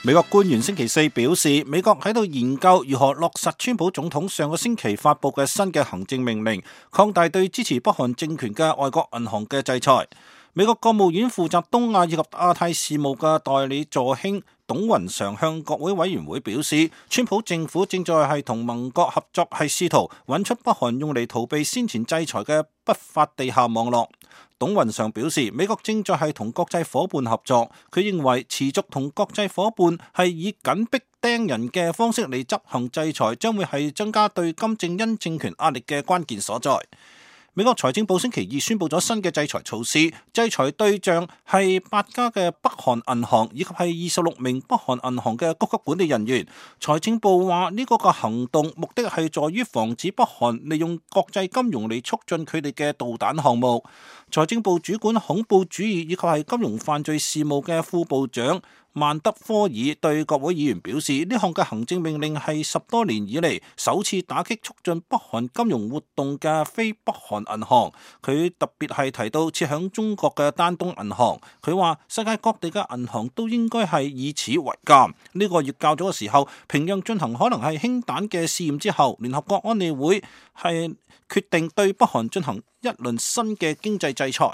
美國官員星期四表示，美國喺度研究如何落實川普總統上個星期發佈嘅新嘅行政命令，擴大對支持北韓政權嘅外國銀行嘅制裁。美國國務院負責東亞以及亞太事務嘅代理助卿董雲常向國會委員會表示，川普政府正在係同盟國合作，係試圖揾出北韓用嚟逃避先前制裁嘅不法地下網絡。董雲常表示，美國正在係同國際夥伴合作，佢認為持續同國際夥伴係以緊迫盯人嘅方式嚟執行制裁，將會係增加對金正恩政權壓力嘅關鍵所在。美國財政部星期二宣布咗新嘅制裁措施，制裁對象係8家嘅北韓銀行以及係26名北韓銀行嘅高級管理人員。財政部話呢個行動目的係在於防止北韓利用國際金融嚟促進佢哋嘅導彈項目。財政部主管恐怖主義以及係金融犯罪事務嘅副部長曼德科爾對國會議員表示，呢項嘅行政命令係10多年以嚟首次打擊促進北韓金融活動嘅非北韓銀行。佢特別係提到設響中國嘅丹東銀行。佢話世界各地嘅銀行都應該係以此為鑑。呢個月較早嘅時候，平壤進行可能係氫彈嘅試驗之後，聯合國安理會係決定對北韓進行一輪新嘅經濟制裁。